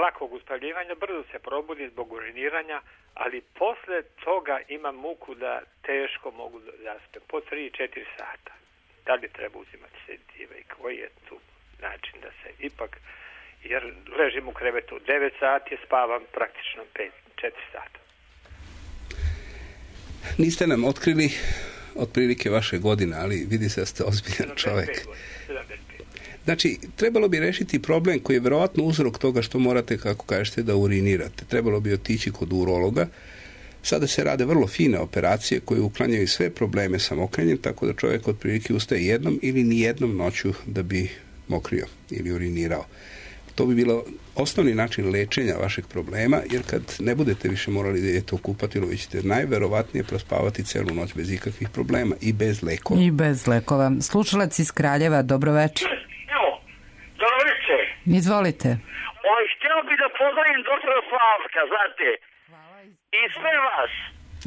lakog uspavljivanja brzo se probudi zbog uriniranja, ali posle toga imam muku da teško mogu da zaspem po 3-4 sata. Da li treba uzimati sedative i koji je tu način da se ipak, jer ležim u krevetu 9 sati, spavam praktično 4 sata. Niste nam otkrili otprilike vaše godine, ali vidi se da ste ozbiljan čovjek. Znači, trebalo bi rešiti problem koji je verovatno uzrok toga što morate, kako kažete, da urinirate. Trebalo bi otići kod urologa. Sada se rade vrlo fine operacije koje uklanjaju sve probleme sa mokrenjem, tako da čovjek otprilike ustaje jednom ili nijednom noću da bi mokrio ili urinirao. To bi bilo osnovni način lečenja vašeg problema, jer kad ne budete više morali da idete u kupatilo, vi ćete najverovatnije prospavati celu noć bez ikakvih problema i bez lekova. I bez lekova. Slušalac iz Kraljeva, dobro večer. Dobro večer. Izvolite. Htio bi da pozdravim doktora Slavka, znate. I sve vas.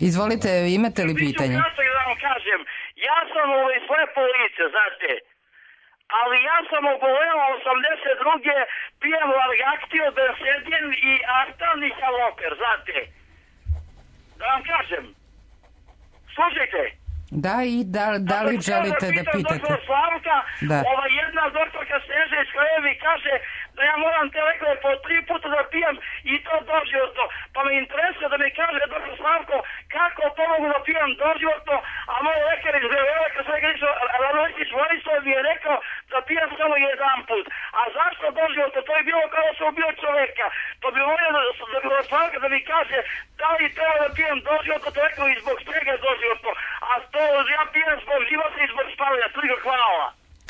Izvolite, imate li pitanje? Da vam kažem, ja sam slepo lice, znate. Ali ja sam oboleo 82. pijem Largaktio, Bensedin i Artan i Haloper, znate. Da vam kažem. Slušajte. Da, i da li želite da pitate? Doktor Slavka, jedna doktorka Sneža iz Kraljeva kaže da ja moram te lekove po 3 puta da pijem i to doživotno. Pa me interesuje da mi kaže doktor Slavko kako pomogu da pijem doživotno, a moj lekar iz Beograda, kad sam Radovčić Vojislav, mi je rekao da pijem samo 1 put. A zašto doživotno? To je bilo kao da sam ubio čoveka. To bi volio doktor Slavka da mi kaže da li treba da pijem doživotno, to rekao i zbog čega doživotno. A to ja pijem zbog života i zbog spavanja. Hvala.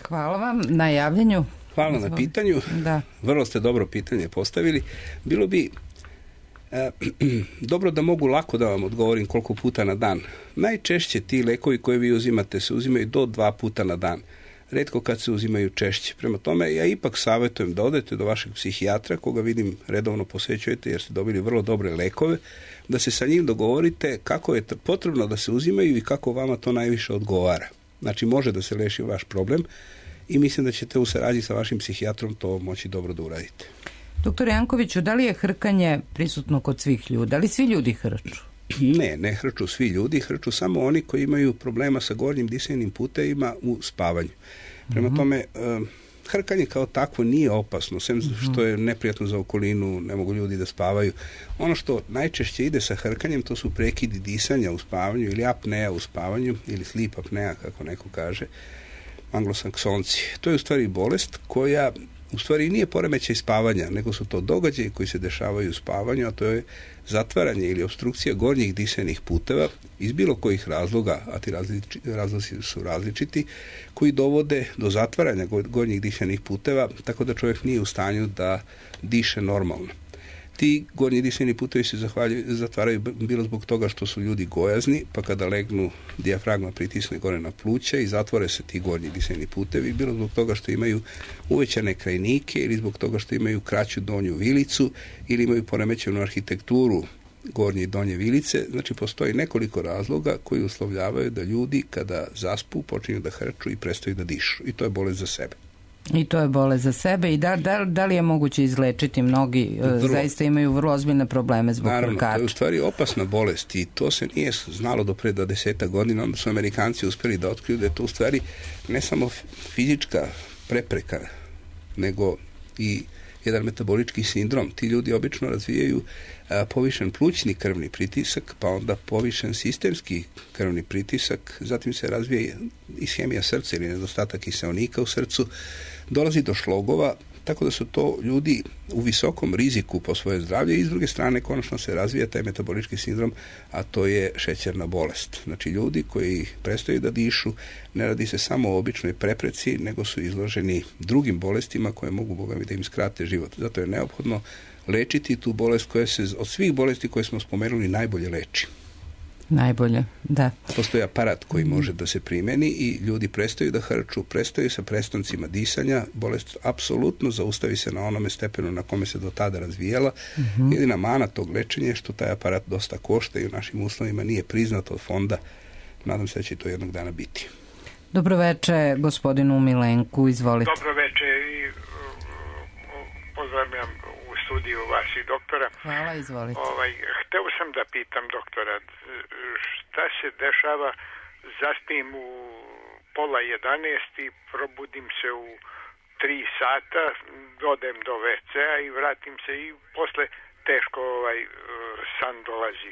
Hvala vam na javljanju. Hvala na pitanju. Da. Vrlo ste dobro pitanje postavili. Bilo bi dobro da mogu lako da vam odgovorim koliko puta na dan. Najčešće ti lekovi koje vi uzimate se uzimaju do 2 puta na dan. Retko kad se uzimaju češće. Prema tome, ja ipak savjetujem da odete do vašeg psihijatra, koga vidim redovno posećujete jer ste dobili vrlo dobre lekove, da se sa njim dogovorite kako je potrebno da se uzimaju i kako vama to najviše odgovara. Znači, može da se leši vaš problem i mislim da ćete u saradnji sa vašim psihijatrom to moći dobro da uradite. Doktor Jankoviću, da li je hrkanje prisutno kod svih ljudi? Da li svi ljudi hrču? Ne hrču svi ljudi, hrču samo oni koji imaju problema sa gornjim disajnim putevima u spavanju. Prema tome, hrkanje kao takvo nije opasno, sem što je neprijatno za okolinu, ne mogu ljudi da spavaju. Ono što najčešće ide sa hrkanjem, to su prekidi disanja u spavanju ili apnea u spavanju, ili sleep apnea, kako neko kaže, anglosaksonci. To je u stvari bolest koja u stvari nije poremećaj spavanja, nego su to događaji koji se dešavaju u spavanju, a to je zatvaranje ili opstrukcija gornjih disajnih puteva iz bilo kojih razloga, a ti razlozi su različiti, koji dovode do zatvaranja gornjih disajnih puteva, tako da čovjek nije u stanju da diše normalno. Ti gornji disajni putevi se zatvaraju bilo zbog toga što su ljudi gojazni, pa kada legnu, dijafragma pritisne gore na pluća i zatvore se ti gornji disajni putevi, bilo zbog toga što imaju uvećane krajnike ili zbog toga što imaju kraću donju vilicu ili imaju poremećenu arhitekturu gornje i donje vilice. Znači, postoji nekoliko razloga koji uslovljavaju da ljudi kada zaspu počinju da hrču i prestaju da dišu. I to je bolest za sebe. I to je bolest za sebe. I da li je moguće izlečiti? Mnogi zaista imaju vrlo ozbiljne probleme zbog krkača. Naravno, to je u stvari opasna bolest i to se nije znalo do pre 20 godina. Onda su Amerikanci uspeli da otkriju da je to u stvari ne samo fizička prepreka, nego i jedan metabolički sindrom. Ti ljudi obično razvijaju povišen plućni krvni pritisak, pa onda povišen sistemski krvni pritisak, zatim se razvije ishemija srca ili nedostatak kiseonika u srcu, dolazi do šlogova, tako da su to ljudi u visokom riziku po svoje zdravlje i s druge strane konačno se razvija taj metabolički sindrom, a to je šećerna bolest. Znači ljudi koji prestaju da dišu, ne radi se samo o običnoj prepreci, nego su izloženi drugim bolestima koje mogu, Boga mi, da im skrate život. Zato je neophodno lečiti tu bolest koja se od svih bolesti koje smo spomenuli najbolje leči. Najbolje, da. Postoji aparat koji može da se primeni i ljudi prestaju da hrču, prestaju sa prestancima disanja, bolest apsolutno zaustavi se na onome stepenu na kome se do tada razvijala. Jedina mana tog lečenja je što taj aparat dosta košta i u našim uslovima nije priznat od fonda. Nadam se da će to jednog dana biti. Dobro veče, gospodinu Milenku, izvolite. Dobro veče i pozdravljam u studiju vas i doktora. Hvala, izvolite. Hteo sam da pitam doktora, šta se dešava, zaspim u 10:30 i probudim se u 3 sata, odem do WC-a i vratim se i posle teško san dolazi.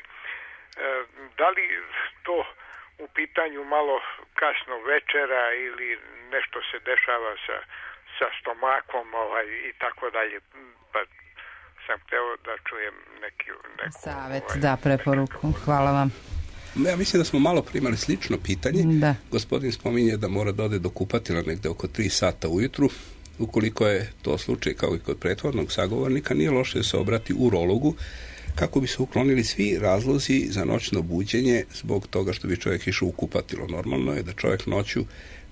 Da li to u pitanju malo kasno večera ili nešto se dešava sa stomakom i tako dalje, pa sam hteo da čujem neku savet, preporuku. Hvala vam. Ja mislim da smo malo primali slično pitanje. Da. Gospodin spominje da mora da ode do kupatila negde oko 3 sata ujutru. Ukoliko je to slučaj kao i kod prethodnog sagovornika, nije loše da se obrati urologu kako bi se uklonili svi razlozi za noćno buđenje zbog toga što bi čovjek išao u kupatilo. Normalno je da čovjek noću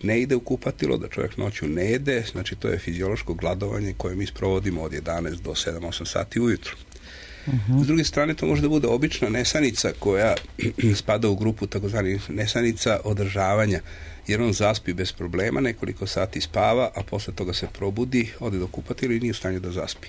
ne ide u kupatilo, da čovjek noću ne jede, znači to je fiziološko gladovanje koje mi sprovodimo od 11 do 7-8 sati ujutru. S druge strane, to može da bude obična nesanica koja spada u grupu takozvanih nesanica održavanja, jer on zaspi bez problema, nekoliko sati spava, a posle toga se probudi, ode do kupatila i nije u stanju da zaspi.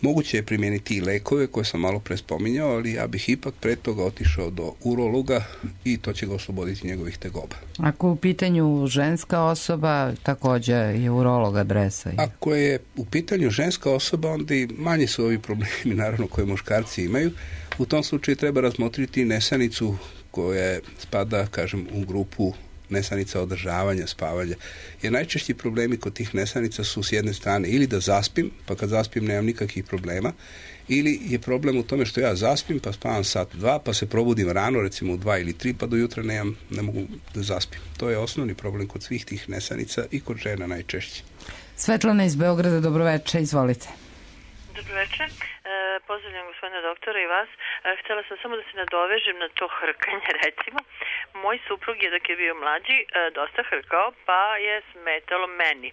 Moguće je primijeniti i lekove koje sam malo pre spominjao, ali ja bih ipak pre toga otišao do urologa i to će ga osloboditi njegovih tegoba. Ako u pitanju ženska osoba, također je urolog adresa. Ako je u pitanju ženska osoba, onda i manje su ovi problemi, naravno, koje muškarci imaju. U tom slučaju treba razmotriti nesanicu koja spada, kažem, u grupu nesanica održavanja, spavanja. Jer najčešći problemi kod tih nesanica su s jedne strane ili da zaspim, pa kad zaspim nemam nikakvih problema, ili je problem u tome što ja zaspim, pa spavam sat, 2, pa se probudim rano, recimo u 2 ili 3, pa do jutra ne mogu da zaspim. To je osnovni problem kod svih tih nesanica i kod žena najčešće. Svetlana iz Beograda, dobroveče, izvolite. Dobroveče. Pozdravljam gospodina doktora i vas. Htjela sam samo da se nadovežem na to hrkanje, recimo. Moj suprug je dok je bio mlađi dosta hrkao, pa je smetalo meni.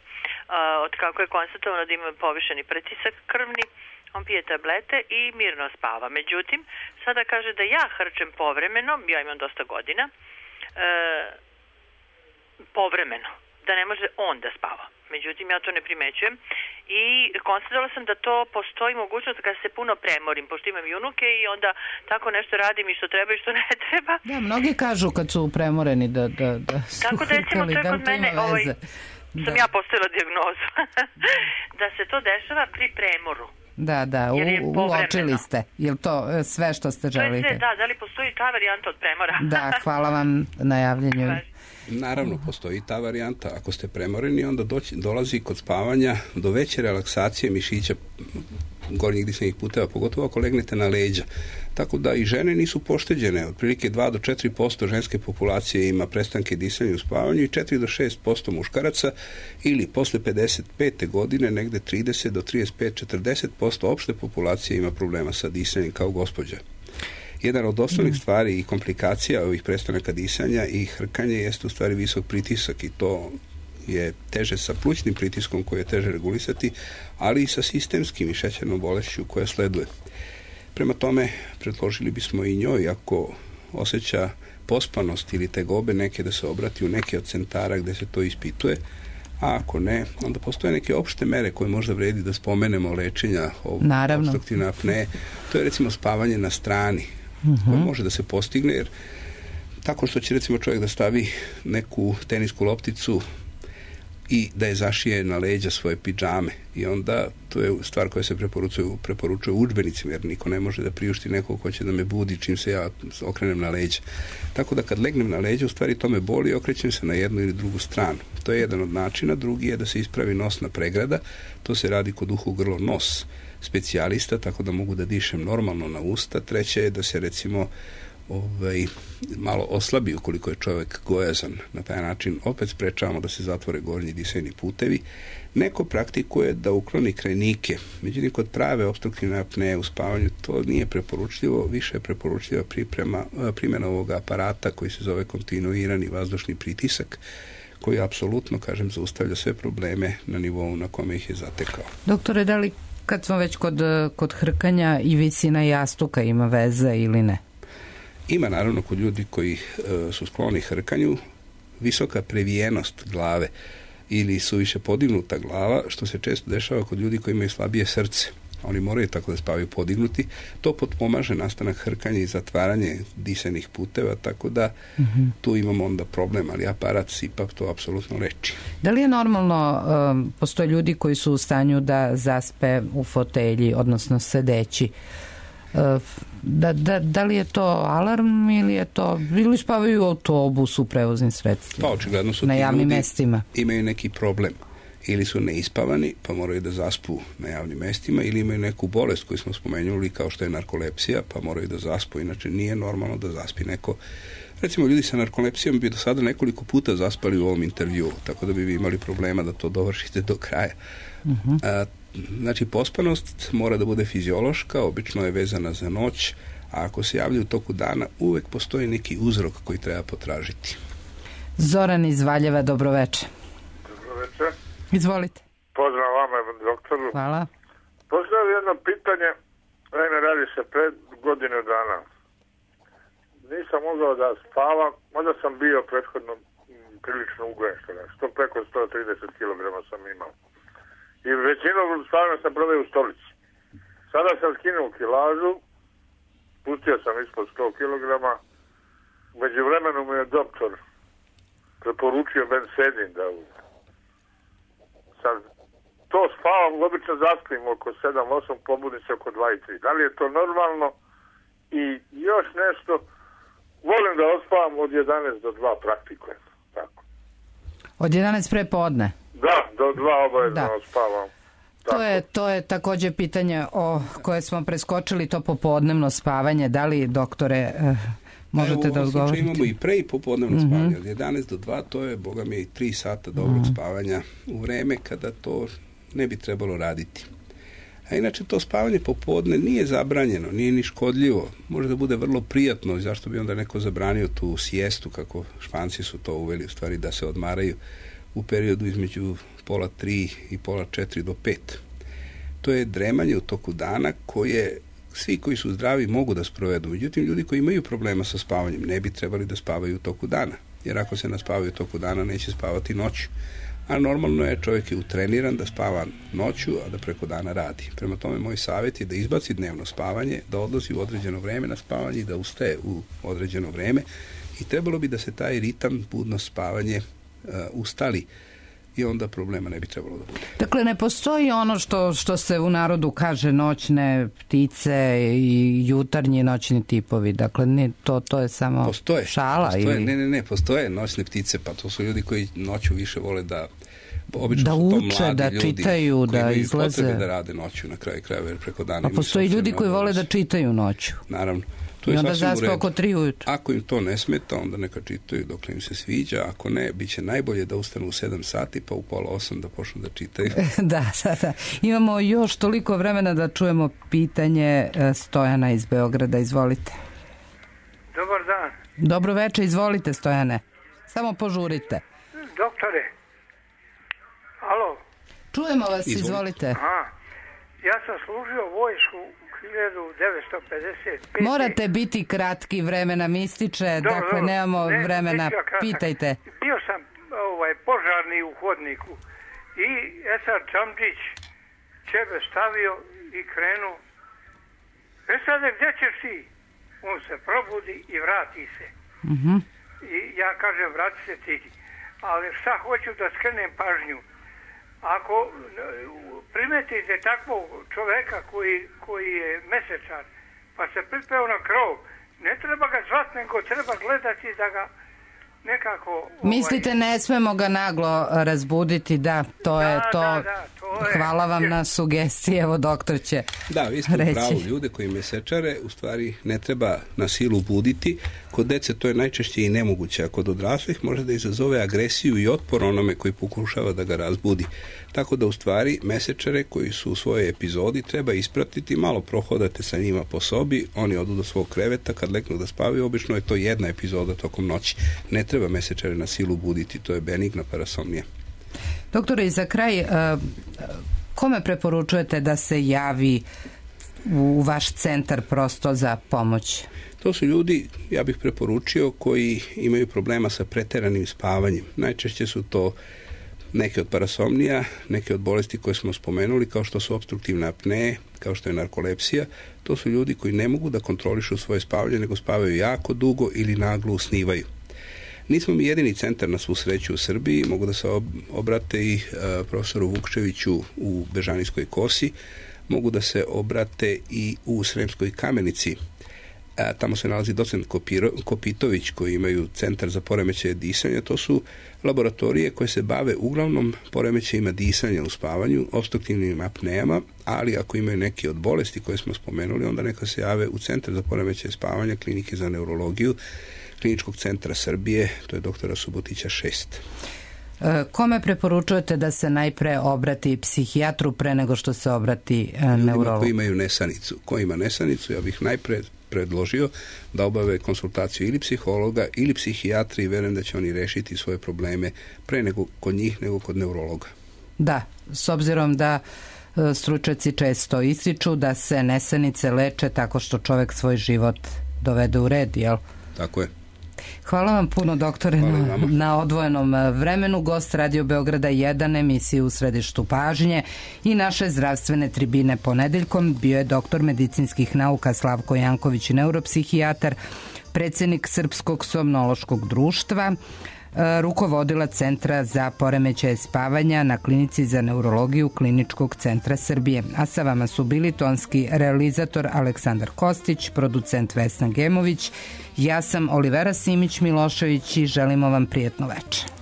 Od kako je konstatovano da ima povišeni pritisak krvni, on pije tablete i mirno spava. Međutim, sada kaže da ja hrčem povremeno, ja imam dosta godina, povremeno, da ne može on da spava. Međutim, ja to ne primećujem i konstatovala sam da to postoji mogućnost kada se puno premorim, pošto imam i unuke i onda tako nešto radim i što treba i što ne treba. Da, mnogi kažu kad su premoreni da su tako da, recimo, to je kod mene, sam ja postavila dijagnozu, da se to dešava pri premoru. Da, uočili ste. Je li to sve što ste želite? Da li postoji ta varijanta od premora? Da, hvala vam na javljanju. Naravno, postoji ta varijanta. Ako ste premoreni, onda dolazi kod spavanja do veće relaksacije mišića gornjih disajnih puteva, pogotovo ako legnete na leđa. Tako da i žene nisu pošteđene. Otprilike 2 do 4% ženske populacije ima prestanke disanja u spavanju i 4 do 6% muškaraca ili posle 55. godine negde 30 do 35-40% opšte populacije ima problema sa disanjem kao gospođa. Jedan od osnovnih stvari i komplikacija ovih prestanaka disanja i hrkanja jeste u stvari visok pritisak i to je teže sa plućnim pritiskom koji je teže regulisati, ali i sa sistemskim i šećernom bolešću koja sleduje. Prema tome, predložili bismo i njoj, ako osjeća pospanost ili tegobe neke, da se obrati u neke od centara gde se to ispituje, a ako ne, onda postoje neke opšte mere koje možda vredi da spomenemo lečenja opstruktivne apneje. To je recimo spavanje na strani, koje može da se postigne, jer tako što će recimo čovjek da stavi neku tenisku lopticu i da je zašije na leđa svoje pidžame, i onda to je stvar koja se preporučuje u udžbenicima, jer niko ne može da priušti nekog ko će da me budi čim se ja okrenem na leđa. Tako da kad legnem na leđa, u stvari to me boli i okrećem se na jednu ili drugu stranu. To je jedan od načina. Drugi je da se ispravi nosna pregrada. To se radi kod uho, grlo, nos specijalista, tako da mogu da dišem normalno na usta. Treće je da se recimo malo oslabi ukoliko je čovjek gojazan. Na taj način opet sprečavamo da se zatvore gornji disajni putevi. Neko praktikuje da ukloni krajnike. Međutim, kod prave opstruktivne apneje u spavanju to nije preporučljivo, više je preporučljiva primjena ovog aparata koji se zove kontinuirani vazdušni pritisak, koji apsolutno, kažem, zaustavlja sve probleme na nivou na kome ih je zatekao. Doktore, da li kad smo već kod hrkanja i visina jastuka ima veze ili ne? Ima naravno kod ljudi koji su skloni hrkanju visoka previjenost glave ili suviše podignuta glava, što se često dešava kod ljudi koji imaju slabije srce. Oni moraju tako da spavaju podignuti. To potpomaže nastanak hrkanja i zatvaranje disajnih puteva, tako da tu imamo onda problem, ali aparat CPAP to apsolutno leči. Da li je normalno, postoje ljudi koji su u stanju da zaspe u fotelji, odnosno sedeći? Da li je to alarm ili spavaju u autobusu, u prevoznim sredstvima? Pa očigledno su na javnim ljudi mestima. Imaju neki problem. Ili su neispavani, pa moraju da zaspu na javnim mestima, ili imaju neku bolest koju smo spomenuli kao što je narkolepsija, pa moraju da zaspu. Inače nije normalno da zaspi neko. Recimo, ljudi sa narkolepsijom bi do sada nekoliko puta zaspali u ovom intervjuu, tako da bi vi imali problema da to dovršite do kraja. Znači, pospanost mora da bude fiziološka, obično je vezana za noć, a ako se javlja u toku dana, uvek postoji neki uzrok koji treba potražiti. Zoran iz Valjeva, dobroveče. Dobroveče. Izvolite. Pozdrav vama, doktoru. Hvala. Postavljam jedno pitanje, naime radi se pred godinu dana. Nisam mogao da spavam, možda sam bio prethodno prilično ugojen, što preko 130 kg sam imao. I većinu spavanja sam proveo u stolici. Sada sam skinuo kilažu, pustio sam ispod 100 kg. Među vremenu mi je doktor preporučio bensedin da sad to spavam, obično zaspim oko 7-8, pobudim se oko 2-3. Da li je to normalno? I još nešto, volim da ospavam od 11 do 2 praktikujem. Tako. Od 11 pre podne? Da, do 2 obavezno ospavam. To je takođe pitanje o koje smo preskočili, to popodnevno spavanje. Da li, doktore, možete da odgovorite? Imamo i pre i popodnevno spavanje. Od 11 do 2 to je, boga mi, 3 sata dobrog spavanja u vreme kada to ne bi trebalo raditi. A inače to spavanje popodne nije zabranjeno, nije ni škodljivo. Može da bude vrlo prijatno, zašto bi onda neko zabranio tu sijestu, kako Španci su to uveli, u stvari da se odmaraju u periodu između pola 3 i pola 4 do 5. To je dremanje u toku dana koje svi koji su zdravi mogu da sprovedu. Međutim, ljudi koji imaju problema sa spavanjem ne bi trebali da spavaju u toku dana. Jer ako se naspavaju u toku dana, neće spavati noću. A normalno je, čovjek je utreniran da spava noću, a da preko dana radi. Prema tome, moj savjet je da izbaci dnevno spavanje, da odlazi u određeno vreme na spavanje i da ustaje u određeno vreme. I trebalo bi da se taj ritam, budno spavanje ustali i onda problema ne bi trebalo da bude. Dakle, ne postoji ono što se u narodu kaže noćne ptice i jutarnji noćni tipovi. Dakle, to je samo šala? Ne, postoje noćne ptice, pa to su ljudi koji noću više vole da obično da uče, da čitaju, da izlaze. Koji imaju potrebe da rade noću na kraju krajeva, jer preko dana. A postoji ljudi koji vole da čitaju noću. Naravno. I onda zaspe oko 3 ujutru. Ako im to ne smeta, onda neka čitaju dok im se sviđa. Ako ne, bit će najbolje da ustanu u 7 sati, pa u pola 8 da počnu da čitaju. Da. Imamo još toliko vremena da čujemo pitanje Stojana iz Beograda. Izvolite. Dobar dan. Dobro večer, izvolite Stojane. Samo požurite. Doktore. Alo. Čujemo vas, izvolite. Ja sam služio vojsku 1955. Morate biti kratki, vremena mi ističe, dakle nemamo vremena, pitajte. Bio sam u požarni u hodniku. I Esad Čamđić ćebe stavio i krenu. Esade, gdje ćeš ti? On se probudi i vrati se. I ja kažem, vrati se ti. Ali šta hoću da skrenem pažnju? Ako primetite takvog čoveka koji je mesečar, pa se pripeo na krov, ne treba ga zvati, nego treba gledati da ga nekako... Mislite, ne smemo ga naglo razbuditi, da, to je to. Hvala vam na sugestiji, evo doktor će reći. Da, vi ste u pravu, ljude koji mesečare u stvari ne treba na silu buditi. Kod dece to je najčešće i nemoguće, a kod odraslih može da izazove agresiju i otpor onome koji pokušava da ga razbudi. Tako da u stvari mesečare koji su u svojoj epizodi treba ispratiti, malo prohodate sa njima po sobi, oni odu do svog kreveta, kad leknu da spavaju, obično je to jedna epizoda tokom noći. Ne treba mesečare na silu buditi, to je benigna parasomnija. Doktore, i za kraj, kome preporučujete da se javi u vaš centar prosto za pomoć? To su ljudi, ja bih preporučio, koji imaju problema sa preteranim spavanjem. Najčešće su to neke od parasomnija, neke od bolesti koje smo spomenuli, kao što su opstruktivne apneje, kao što je narkolepsija. To su ljudi koji ne mogu da kontrolišu svoje spavanje, nego spavaju jako dugo ili naglo usnivaju. Nismo mi jedini centar na svu sreću u Srbiji, mogu da se obrate i profesoru Vukčeviću u Bežanijskoj Kosi, mogu da se obrate i u Sremskoj Kamenici. Tamo se nalazi docent Kopitović, koji imaju centar za poremećaje disanja. To su laboratorije koje se bave uglavnom poremećajima disanja u spavanju, opstruktivnim apnejama, ali ako imaju neke od bolesti koje smo spomenuli, onda neka se jave u centar za poremećaje spavanja Klinike za neurologiju Kliničkog centra Srbije, to je doktora Subotića 6. Kome preporučujete da se najpre obrati psihijatru pre nego što se obrati neurologu? Koji imaju nesanicu. Ko ima nesanicu, ja bih najpre predložio da obave konsultaciju ili psihologa ili psihijatra i verujem da će oni rešiti svoje probleme pre nego kod njih nego kod neurologa. Da, s obzirom da stručnjaci često ističu da se nesanice leče tako što čovek svoj život dovede u red, jel? Tako je. Hvala vam puno, doktore, na odvojenom vremenu. Gost Radio Beograda 1, emisije U središtu pažnje i naše zdravstvene tribine ponedeljkom bio je doktor medicinskih nauka Slavko Janković, neuropsihijatar, predsjednik Srpskog somnološkog društva, rukovodila Centra za poremećaje spavanja na Klinici za neurologiju Kliničkog centra Srbije. A sa vama su bili tonski realizator Aleksandar Kostić, producent Vesna Gemović, ja sam Olivera Simić Milošević i želimo vam prijetno večer.